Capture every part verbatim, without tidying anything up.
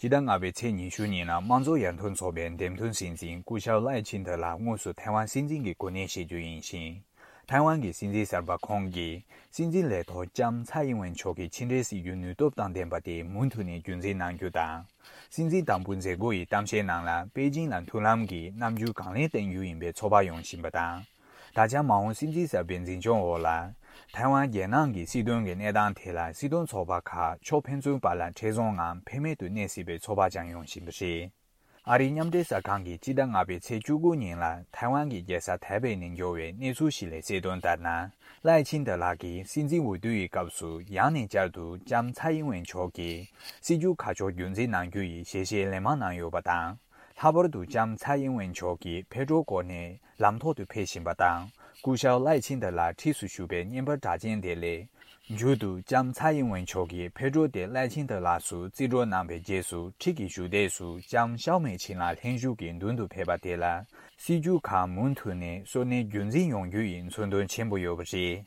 སྤྱི་ཟླ་ལྔ་པའི་ཚེས་ཉི་ཤུ་ཉིན་ལ་དམངས་གཙོ་ཡར་ཐོན་ཚོགས་པའི་འདེམས་ཐོན་སྲིད་འཛིན་སྐུ་ཞབས་ལའེ་ཆིན་ཐི་ལགས་དངོས་སུ་ཐའེ་ཝན་སྲིད་འཛིན་གྱི་གོ་གནས་བཞེས་རྒྱུ་ཡིན་ཞིང་། ཐའེ་ཝན་གྱི་སྲིད་འཛིན་གསར་པ་ཁོང་གིས་སྲིད་འཛིན་ལས་ཐོག་ལྕམ་ཚའེ་ཨིན་ཝེན་མཆོག་གི་ཕྱི་འབྲེལ་སྲིད་ཇུས་ནུས་སྟོབས་དང་ལྡན་པ་དེ་མུ་མཐུད་ནས་རྒྱུན་འཛིན་གནང་རྒྱུ་དང་། སྲིད་འཛིན་དང་པོ་མཛད་སྒོ་ཡི་གཏམ་བཤད་ནང་ལ་པེ་ཅིང་ལ་མཐུན་ལམ་གྱི་རྣམ་འགྱུར་གང་ལེགས་བསྟན་རྒྱུ་ཡིན་པའི་ཚོད་དཔག་ཡོང་བཞིན་པ་དང་། ད་ཆ་མ་འོངས་སྲིད་འཛིན་གསར་པའི་འཛིན་སྐྱོང་འོག་ལ། ཐའེ་ཝན་རྒྱལ་ནང་གི་སྲིད་དོན་གྱི་གནས་སྟངས་ཐད་ལ་སྲིད་དོན་ཚོགས་པ་ཁག་ཕྱོགས་ཕན་ཚུན་བར་ལ་འཕྲད་བཟུང་ངམ་ཕན་མེད་དུ་གནས་སྲིད་པའི་ཚོད་དཔག་ཀྱང་ཡོང་བཞིན་པ་རེད། ཨ་རིའི་མཉམ་འབྲེལ་གསར་ཁང་གིས་སྤྱི་ཟླ་ལྔ་པའི་ཚེས་བཅུ་དགུ་ཉིན་ལ་ཐའེ་ཝན་གྱི་རྒྱལ་ས་ཐའེ་པེ་ནས་འབྱོར་བའི་གནས་ཚུལ་ཞིག་ལས་གསལ་དོན་ལྟར་ན། ལའེ་ཆིན་ཐི་ལགས་ཀྱིས་སྲིད་འཛིན་འོས་བསྡུ་ཡི་སྐབས་སུ་ཡང་ནས་བསྐྱར་དུ་ལྕམ་ཚའེ་ཨིན་ཝེན་མཆོག་གི་སྲིད་ཇུས་ཁ་ཕྱོགས་རྒྱུན་འཛིན་གནང་རྒྱུ་ཡི་ཞལ་བཞེས་ལན་མང་གནང་ཡོད་པ་དང་། ལྷག་པར་དུ་ལྕམ་ཚའེ་ཨིན་ཝེན་མཆོག་གིས་ཕེ་ཏྲོ་སྐོར་ནས་ལམ་ཐོག་ཏུ་ཕེབས་བཞིན་པ་དང་། སྐུ་ཞབས་ལའེ་ཆིན་ཐི་ལགས་འཁྲིས་སུ་བཞུགས་པའི་བརྙན་པར་གྲགས་ཅན་དེ་ལས། མཇུག་ཏུ་ལྕམ་ཚའེ་ཨིན་ཝེན་མཆོག་གིས་ཕེ་ཏྲོ་དེ་ལའེ་ཆིན་ཐི་ལགས་སུ་རྩིས་སྤྲོད་གནང་བའི་རྗེས་སུ་འཁྲིས་ཀྱི་བཞུགས་སྟེགས་སུ་ལྕམ་ཤའོ་མེ་ཆིན་ལགས་ལྷན་བཞུགས་ཀྱིས་མདུན་དུ་ཕེབས་པ་དེ་ལ། སྲིད་ཇུས་ཁག་མུ་མཐུད་ནས་སོར་གནས་རྒྱུན་འཛིན་ཡོང་རྒྱུ་ཡི་མཚོན་དོན་ཆེན་པོ་ཡོད་པ་རེད།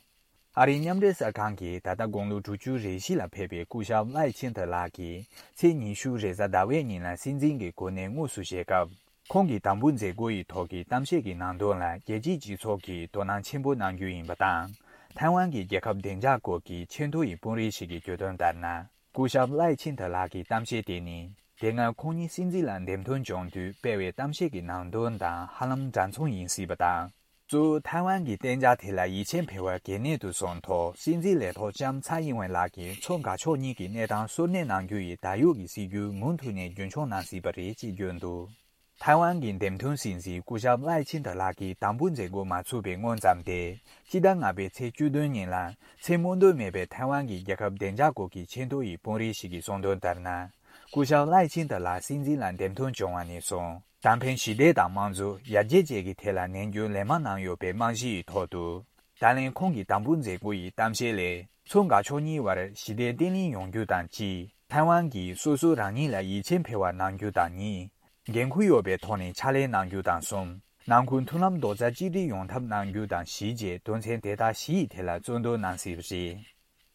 ཨ་རིའི་མཉམ་འབྲེལ་གསར་ཁང་གིས་ད་ལྟ་དགུང་ལོ་དྲུག་ཅུ་རེ་བཞི་ལ་ཕེབས་པའི་སྐུ་ཞབས་ལའེ་ཆིན་ཐི་ལགས་ཀྱིས་ཚེས་ཉི་ཤུ་རེས་གཟའ་ཟླ་བའི་ཉིན་ལ་སྲིད་འཛིན་གྱི་གོ་གནས་དངོས་སུ་བཞེས་སྐབས། ཁོང་གིས་དམ་འབུལ་མཛད་སྒོ་ཡི་ཐོག་གི་གཏམ་བཤད་ཀྱི་ནང་དོན་ལ་རྒྱལ་སྤྱིའི་སྤྱི་ཚོགས་ཀྱིས་དོ་སྣང་ཆེན་པོ་གནང་རྒྱུ་ཡིན་པ་དང་། ཐའེ་ཝན་གྱི་རྒྱལ་ཁབ་བདེ་འཇགས་སྐོར་གྱི་ཆེས་མཐོ་ཡི་དཔོན་རིགས་ཤིག་གིས་བརྗོད་དོན་ལྟར་ན། སྐུ་ཞབས་ལའེ་ཆིན་ཐི་ལགས་ཀྱི་གཏམ་བཤད་དེ་ནི། དེ་སྔ་ཁོང་ཉིད་སྲིད་འཛིན་ལ་འདེམས་ཐོན་བྱུང་དུས་སྤེལ་བའི་གཏམ་བཤད་ཀྱི་ནང་དོན་དང་ཧ་ལམ་འདྲ་མཚུངས་ཡིན་སྲིད་པ་དང་། གཙོ་བོ་ཐའེ་ཝན་གྱི་གཏན་འཇགས་ཐད་ལ་ཡིད་ཆེས་འཕེར་བ་གལ་གནད་དུ་བཟུང་ཐོག་སྲིད་འཛིན་ལས་ཐོག་ལྕམ་ཚའེ་ཨིན་ཝེན་ལགས་ཀྱིས་མཚོ་འགག་ཕྱོགས་གཉིས་ཀྱི་གནས་སྟངས་གསོ་གནས་གནང་རྒྱུ་ཡི་ད་ཡོད་ཀྱི་སྲིད་ཇུས་མུ་མཐུད་ནས་རྒྱུན་འཁྱོངས་གནང་སྲིད་པ་རེད་ཅེས་བརྗོད་འདུག་ཐའེ་ཝན་གྱི་འདེམས་ཐོན་སྲིད་འཛིན་སྐུ་ཞབས་ལའེ་ཆིན་ཐི་ལགས་ཀྱིས་དམ་འབུལ་མཛད་སྒོ་མ་ཚུགས་པའི་སྔོན་ཙམ་སྟེ། སྤྱི་ཟླ་ལྔ་པའི་ཚེས་བཅུ་བདུན་ཉིན་ལ་ཚད་སྨོས་འདོད་མེད་པའི་ཐའེ་ཝན་གྱི་རྒྱལ་ཁབ་བདེ་འཇགས་སྐོར་གྱི་ཆེས་མཐོ་ཡི་དཔོན་རིགས་ཤིག་གིས་གསུངས་དོན་ལྟར་ན། སྐུ་ཞབས་ལའེ་ཆིན་ཐི་ལགས་སྲིད་འཛིན་ལ་འདེམས་ཐོན་བྱུང་བ་ནས་བཟུང་། གཏན་ཕན་ཞི་བདེ་དང་དམངས་གཙོ། ཡར་རྒྱས་བཅས་ཀྱི་ཐད་ལ་ནན་སྐྱོན་ལན་མང་གནང་ཡོད་པའི་རྨང་གཞི་ཡི་ཐོག་ཏུ། ད་ལན་ཁོང་གི་དམ་འབུལ་མཛད་སྒོ་ཡི་གཏམ་བཤད་ལས། མཚོ་འགག་ཕྱོགས་གཉིས་བར་ཞི་བདེ་བརྟན་ལྷིང་ཡོང་རྒྱུ་དང་གཅིག་ཐའེ་ཝན་གྱིས་སོ་སོ་རང་ཉིད་ལ་ཡིད་ཆེས་འཕེར་བ་གནང་རྒྱུ་དང་གཉིས། འགན་ཁུར་ཡོད་པའི་ཐོག་ནས་ཕྱག་ལས་གནང་རྒྱུ་དང་གསུམ། ནང་ཁུལ་མཐུན་ལམ་རྡོག་རྩ་གཅིག་སྒྲིལ་ཡོང་ཐབས་གནང་རྒྱུ་དང་བཞི་བཅས་དོན་ཚན་དེ་དག་བཞི་ཡི་ཐད་ལ་གཙོ་འདོན་གནང་སྲིད་པ་རེད།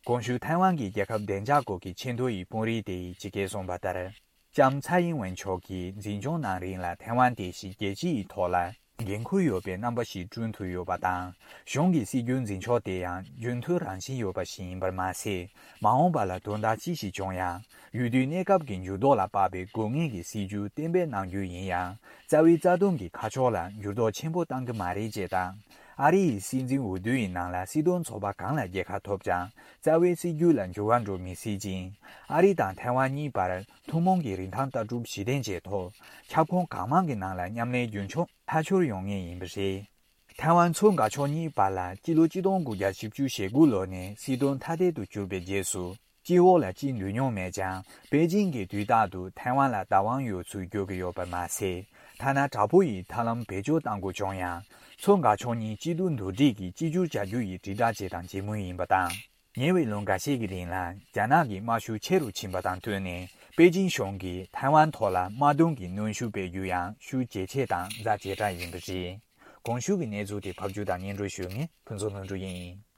གོང་ཞུས་ཐའེ་ཝན་གྱི་རྒྱལ་ཁབ་བདེ་འཇགས་སྐོར་གྱི་ཆེས་མཐོ་ཡི་དཔོན་རིགས་དེ་ཡིས་ཇི་སྐད་གསུངས་པ་ལྟར། ལྕམ་ཚའེ་ཨིན་ཝེན་མཆོག་གིས་འཛིན་སྐྱོང་གནང་རིང་ལ་ཐའེ་ཝན་དེ་བཞིན་རྒྱལ་སྤྱི་ཡི་ཐོག་ལ་འགན་ཁུར་ཡོད་པའི་རྣམ་པ་ཞིག་བསྐྲུན་ཐུབ་ཡོད་པ་དང་། གཞུང་གི་སྲིད་ཇུས་འཛིན་ཕྱོགས་དེ་ཡང་རྒྱུན་མཐུད་རང་བཞིན་ཡོད་པ་ཞིག་ཡིན་པར་མ་ཟད། མ་འོངས་པ་ལ་དོན་དག་ཅི་ཞིག་བྱུང་ཡང་། ཡུལ་དུས་གནས་སྐབས་ཀྱི་འགྱུར་ལྡོག་ལ་དཔག་པའི་དགོས་ངེས་ཀྱི་སྲིད་ཇུས་གཏན་འབེབས་གནང་རྒྱུ་ཡིན་ཡང་། རྩ་བའི་རྩ་དོན་གྱི་ཁ་ཕྱོགས་ལ་འགྱུར་ལྡོག་ཆེན་པོ་གཏང་གི་མ་རེད་ཅེས་དང་། ཨ་རི་ཡི་སྲིད་འཛིན་འོས་བསྡུ་ཡི་ནང་ལ་སྲིད་དོན་ཚོགས་པ་གང་ལ་རྒྱལ་ཁ་ཐོབ་ཀྱང་། རྩ་བའི་སྲིད་ཇུས་ལ་འགྱུར་བ་འགྲོ་མི་སྲིད་ཅིང་། ཨ་རི་དང་ཐའེ་ཝན་གཉིས་བར་ཐུན་མོང་གི་རིན་ཐང་ལྟ་གྲུབ་གཞི་རྟེན་བྱས་ཐོག་ཁྱབ་ཁོངས་གང་མང་གི་ནང་ལ་མཉམ་ལས་རྒྱུན་འཁྱོངས་མཐའ་འཁྱོལ་ཡོང་ངེས་ཡིན་པ་རེད། ཐའེ་ཝན་མཚོ་འགག་ཕྱོགས་གཉིས་བར་ལ་སྤྱི་ལོ་ཆིག་སྟོང་དགུ་བརྒྱ་བཞི་བཅུ་ཞེ་དགུ་ལོ་ནས་སྲིད་དོན་ཐ་དད་དུ་གྱུར་པའི་རྗེས་སུ། སྤྱི་འོག་ལ་གཅིག་འདུས་མྱོང་མེད་ཀྱང་། པེ་ཅིང་གིས་དུས་རྟག་ཏུ་ཐའེ་ཝན་ལ་བདག་དབང་ཡོད་ཚུལ་བརྗོད་ཀྱི་ཡོད་པར་མ་ཟད། ཐ་ན་དྲག་པོ་ཡིས་ཐབས་ལམ་བེད་སྤྱོད་གཏང་དགོས་བྱུང་ཡང་། མཚོ་འགག་ཕྱོགས་གཉིས་སྐྱིད་སྡུག་མདོར་བསྡུས་ཀྱིས་གཅིག་གྱུར་བྱ་རྒྱུ་ཡི་དྲིལ་བསྒྲགས་བྱས་དང་བྱེད་མུས་ཡིན་པ་དང་། ཉེ་བའི་ལོ་འགའ་ཤས་ཀྱི་རིང་ལ་རྒྱ་ནག་གི་དམག་ཤུགས་ཆེ་རུ་ཕྱིན་པ་དང་བསྟུན་ནས། པེ་ཅིང་གཞུང་གིས་ཐའེ་ཝན་ཐོག་ལ་དམག་དོན་གྱི་གནོན་ཤུགས་སྤེལ་རྒྱུ་ཡང་ཤུགས་ཇེ་ཆེ་དང་ཛ་ཇེ་དྲག་ཡིན་པ་རེད། གོང་ཞུས་ཀྱི་གནས་ཚུལ་དེ་ཕབ་སྒྱུར་དང་སྙན་སྒྲོན་ཞུ་མཁན་ཕུན་ཚོགས་ལྷུན་གྲུབ་ཡིན།